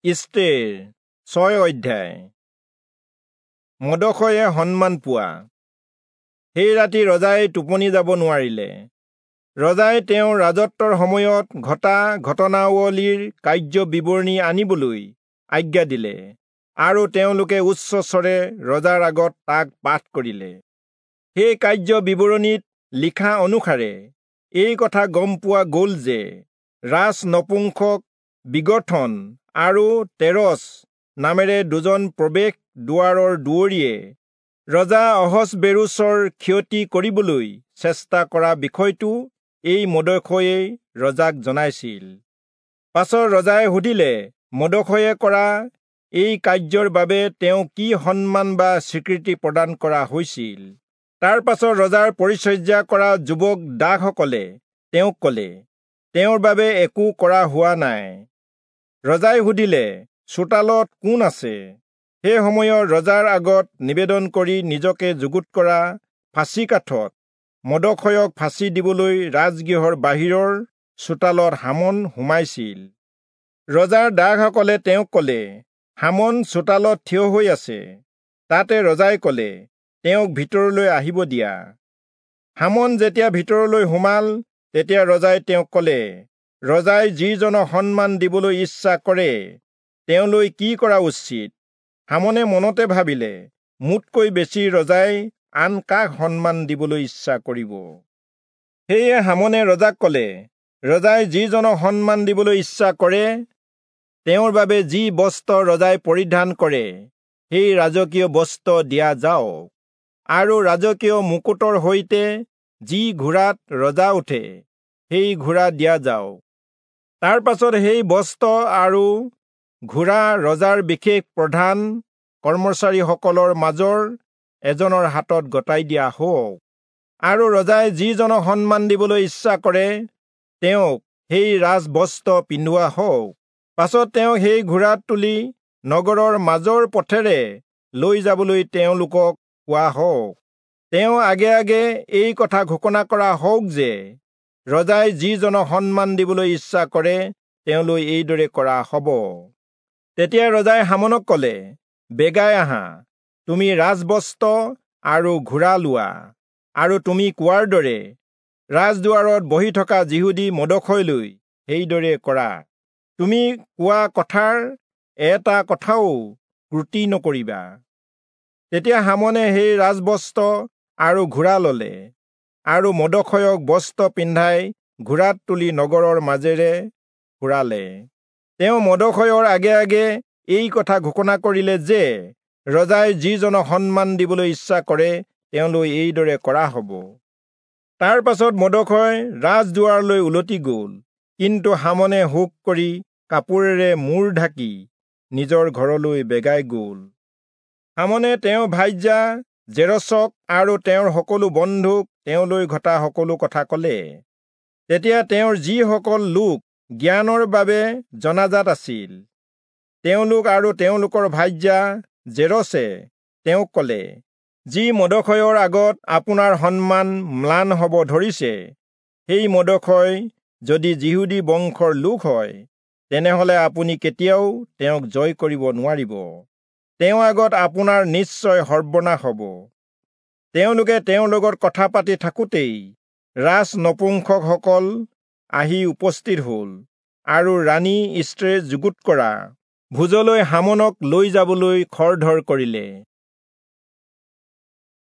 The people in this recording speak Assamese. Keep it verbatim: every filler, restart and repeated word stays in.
ইষ্টেৰ ছয় অধ্যায়। মৰ্দখয়ে সন্মান পোৱা। সেই ৰাতি ৰজাই টোপনি যাব নোৱাৰিলে। ৰজাই তেওঁৰ ৰাজত্বৰ সময়ত ঘটা ঘটনাৱলীৰ কাৰ্য বিৱৰণী আনিবলৈ আজ্ঞা দিলে আৰু তেওঁলোকে উচ্চস্বৰে ৰজাৰ আগত তাক পাঠ কৰিলে। সেই কাৰ্য বিৱৰণীত লিখা অনুসাৰে এই কথা গম পোৱা গ'ল যে ৰাজ নপুংসক বিগথন আৰু তেৰচ নামেৰে দুজন প্ৰৱেশ দুৱাৰৰ দুৱৰীয়ে ৰজা অহচ্বেৰোচৰ ক্ষতি কৰিবলৈ চেষ্টা কৰা বিষয়টো এই মৰ্দখয়ে ৰজাক জনাইছিল। পাছত ৰজাই সুধিলে, মৰ্দখয়ে কৰা এই কাৰ্যৰ বাবে তেওঁক কি সন্মান বা স্বীকৃতি প্ৰদান কৰা হৈছিল? তাৰ পাছত ৰজাৰ পৰিচৰ্যা কৰা যুৱক দাসসকলে তেওঁক ক'লে, তেওঁৰ বাবে একো কৰা হোৱা নাই। ৰজাই সুধিলে, চোতালত কোন আছে? সেই সময়ত ৰজাৰ আগত নিবেদন কৰি নিজকে যুগুত কৰা ফাঁচী কাঠত মৰ্দখয়ক ফাঁচী দিবলৈ ৰাজগৃহৰ বাহিৰৰ চোতালত হামন সোমাইছিল। ৰজাৰ দাসসকলে তেওঁক ক'লে, হামন চোতালত থিয় হৈ আছে। তাতে ৰজাই ক'লে, তেওঁক ভিতৰলৈ আহিব দিয়া। হামন যেতিয়া ভিতৰলৈ সোমাল, তেতিয়া ৰজাই তেওঁক ক'লে, ৰজাই যিজনক সন্মান দিবলৈ ইচ্ছা কৰে তেওঁলৈ কি কৰা উচিত? হামনে মনতে ভাবিলে, মোতকৈ বেছি ৰজাই আন কাক সন্মান দিবলৈ ইচ্ছা কৰিব? সেয়ে হামনে ৰজাক ক'লে, ৰজাই যিজনক সন্মান দিবলৈ ইচ্ছা কৰে তেওঁৰ বাবে যি বস্ত্ৰ ৰজাই পৰিধান কৰে সেই ৰাজকীয় বস্ত্ৰ দিয়া যাওক, আৰু ৰাজকীয় মুকুটৰ সৈতে যি ঘোঁৰাত ৰজা উঠে সেই ঘোঁৰা দিয়া যাওক। তাৰ পাছত সেই বস্ত্ৰ আৰু ঘোঁৰা ৰজাৰ বিশেষ প্ৰধান কৰ্মচাৰীসকলৰ মাজৰ এজনৰ হাতত গতাই দিয়া হওক, আৰু ৰজাই যিজনক সন্মান দিবলৈ ইচ্ছা কৰে তেওঁক সেই ৰাজবস্ত্ৰ পিন্ধোৱা হওক। পাছত তেওঁক সেই ঘোঁৰাত তুলি নগৰৰ মাজৰ পথেৰে লৈ যাবলৈ তেওঁলোকক কোৱা হওক। তেওঁ আগে আগে এই কথা ঘোষণা কৰা হওক যে ৰজাই যিজনক সন্মান দিবলৈ ইচ্ছা কৰে তেওঁলৈ এইদৰে কৰা হ'ব। তেতিয়া ৰজাই হামনক ক'লে, বেগাই আহা, তুমি ৰাজবস্ত্ৰ আৰু ঘোঁৰা লোৱা, আৰু তুমি কোৱাৰ দৰে ৰাজদুৱাৰত বহি থকা যিহুদী মৰ্দখয়লৈ সেইদৰে কৰা। তুমি কোৱা কথাৰ এটা কথাও ত্ৰুটি নকৰিবা। তেতিয়া হামনে সেই ৰাজবস্ত্ৰ আৰু ঘোঁৰা ললে আৰু মৰ্দখয়ক বস্ত্ৰ পিন্ধাই ঘোঁৰাত তুলি নগৰৰ মাজেৰে ফুৰালে। তেওঁ মৰ্দখয়ৰ আগে আগে এই কথা ঘোষণা কৰিলে যে ৰজাই যিজনক সন্মান দিবলৈ ইচ্ছা কৰে তেওঁলৈ এইদৰে কৰা হ'ব। তাৰ পাছত মৰ্দখয় ৰাজদুৱাৰলৈ উলটি গ'ল, কিন্তু হামনে শোক কৰি কাপোৰেৰে মূৰ ঢাকি নিজৰ ঘৰলৈ বেগাই গ'ল। হামনে তেওঁৰ ভাৰ্যা জেৰচক আৰু তেওঁৰ সকলো বন্ধুক তেওঁলৈ ঘটা সকলো কথা ক'লে। তেতিয়া তেওঁৰ যিসকল লোক জ্ঞানৰ বাবে জনাজাত আছিল, তেওঁলোক আৰু তেওঁলোকৰ ভাৰ্যা জেৰচে তেওঁক ক'লে, যি মৰ্দখয়ৰ আগত আপোনাৰ সন্মান ম্লান হ'ব ধৰিছে, সেই মৰ্দখয় যদি যিহুদী বংশৰ লোক হয়, তেনেহলে আপুনি কেতিয়াও তেওঁক জয় কৰিব নোৱাৰিব। তেওঁৰ আগত আপোনাৰ নিশ্চয় সৰ্বনাশ হ'ব। তেওঁলোকে তেওঁৰ লগত কথা পাতি থাকোঁতেই ৰাজ নপুংসকসকল আহি উপস্থিত হ'ল আৰু ৰাণী ইষ্টেৰে যুগুত কৰা ভোজলৈ হামনক লৈ যাবলৈ খৰধৰ কৰিলে।